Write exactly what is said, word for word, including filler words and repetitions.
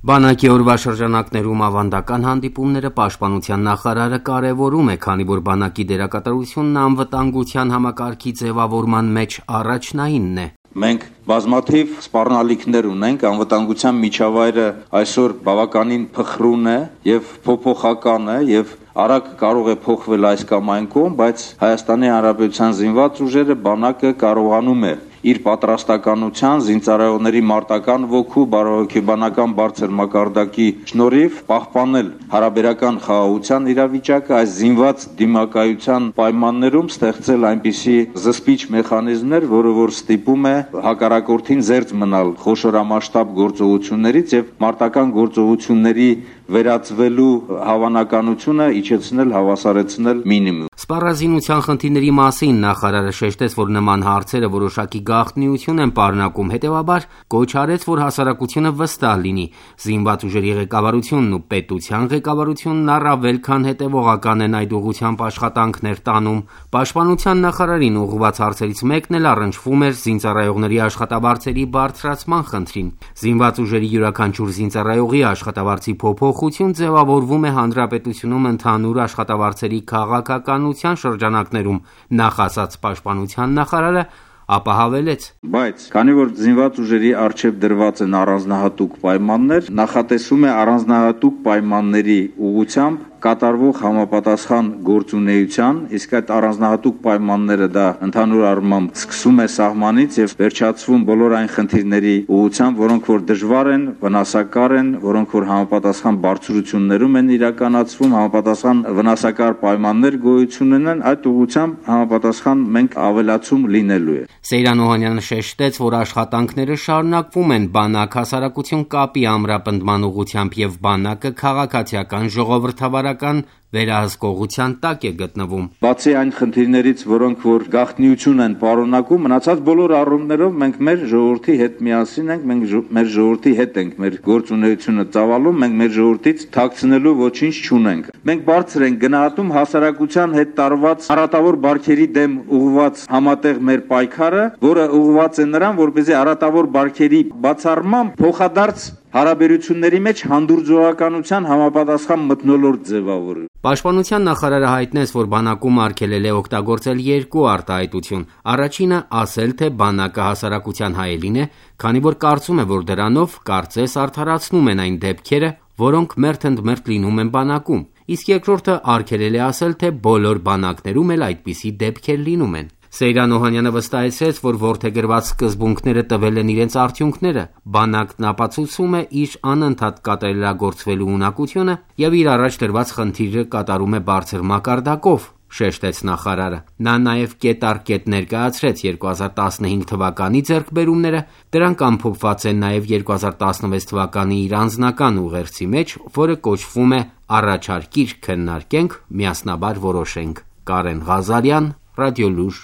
Բանակի օրվա շրջանակներում ավանդական հանդիպումները պաշտպանության նախարարը կարևորում է, քանի որ բանակի դերակատարությունն անվտանգության համակարգի ձևավորման մեջ առաջնայինն է։ Մենք բազմաթիվ սպառնալիքներ ունենք, անվտանգության միջավայրը այսօր բավականին փխրուն է եւ փոփոխական է եւ արագ կարող է փոխվել այս կամ այն կողմ, բայց Հայաստանի Հանրապետության զինված ուժերը բանակը կարողանում է իր պատրաստականության, զինծառայողների մարտական ոգու, բարոյական բարձր մակարդակի շնորհիվ պահպանել հարաբերական խաղաղության իրավիճակը, այս զինված դիմակայության պայմաններում ստեղծել այնպիսի զսպիչ մեխանիզմներ, որը որ ստիպում է հակառակորդին զերծ մնալ խոշորամասշտաբ գործողություններից եւ մարտական գործողությունների վերածվելու հավանականությունը իջեցնել, հավասարեցնել մինիմում։ Սպառազինության խնդիրների մասին նախարարը շեշտեց, որ նման հարցերը որոշակի գաղտնիություն են պարունակում, հետևաբար կոչ արեց, որ հասարակությունը վստահ լինի։ Զինված ուժերի ղեկավարությունն ու պետության ղեկավարությունն առավել քան հետևողական են այդ ուղղությամբ աշխատանքներ տանում։ Պաշտպանության նախարարին ուղղված հարցերից մեկն էլ առնչվում էր զինծառայողների աշխատավարձերի բարձրացման խնդրին։ Զինված ուժերի յուրաքանչյուր զինծառայողի աշխատավարձի փոփոխություն ձևավորվում է հանրապետությունում ընդհանուր աշխատավարձերի քաղաքականության շրջանակներում, նախասած պաշտպանության նախարարը ապա հավելեց. Բայց քանի որ զինված ուժերի առջև դրված են առանձնահատուկ պայմաններ, նախատեսում է առանձնահատուկ պայմանների ուղղությամբ կատարվող համապատասխան գործունեության, իսկ այդ առանձնահատուկ պայմանները դա ընդհանուր առմամբ սկսում է սահմանից եւ վերջացվում բոլոր այն խնդիրների ուղղությամբ, որոնք որ դժվար են, վնասակար են, որոնք որ համապատասխան բարձրություններում են իրականացվում, համապատասխան վնասակար պայմաններ գոյություն ունեն, այդ ուղղությամբ համապատասխան մենք ավելացում լինելու է։ Սեյրան Օհանյանը շեշտեց, որ աշխատանքները շարունակվում են բանակ-հասարակություն կապի ամրապնդման ուղղությամբ եւ բանակը քաղաքացիական ժողովրդավարական վերահսկողության տակ է գտնվում։ Բացի այն խնդիրներից, որոնք որ գաղտնիություն են պարունակում, մնացած բոլոր առումներով մենք մեր ժողովրդի հետ միասին ենք, մենք մեր ժողովրդի հետ ենք մեր գործունեությունը ծավալում, մենք մեր ժողովրդից թաքցնելու ոչինչ չունենք։ Մենք բարձր ենք գնահատում հասարակության հետ տարված հարատավոր բարքերի դեմ ուղղված համատեղ մեր պայքարը, որը ուղղված է նրան, որպեսզի հարատավոր բարքերի բացառմամբ փոխադարձ հարաբերությունների մեջ հանդուրժողականության համապատասխան մթնոլորտ ձևավորի։ Պաշտպանության նախարարը հայտնեց, որ բանակում արգելել է օգտագործել երկու արտահայտություն։ Առաջինը ասել, թե բանակը հասարակության հայելին է, քանի որ կարծում է, որ դրանով կարծես արդարացնում են այն դեպքերը, որոնք մերթընդմերթ լինում են բանակում։ Իսկ երկրորդը արգելել է ասել, թե բոլոր բանակներում էլ այդպիսի դեպքեր լինում են։ Սեյրան Օհանյանը վստահեցրեց, որ որդեգրված սկզբունքները տվել են իրենց արդյունքները։ Բանակն ապացուցում է իր անընդհատ կատարելագործվելու ունակությունը եւ իր առաջ դրված խնդիրը կատարում է բարձր մակարդակով, շեշտեց նախարարը։ Նա նաև կետառ-կետ ներկայացրեց երկու հազար տասնհինգ թվականի ձեռքբերումները, դրանք ամփոփված են նաև երկու հազար տասնվեց թվականի իր անձնական ուղերձի մեջ, որը կոչվում է «Առաջարկիր քննարկենք, միասնաբար որոշենք»։ Կարեն Ղազարյան, Ռադիոլուր։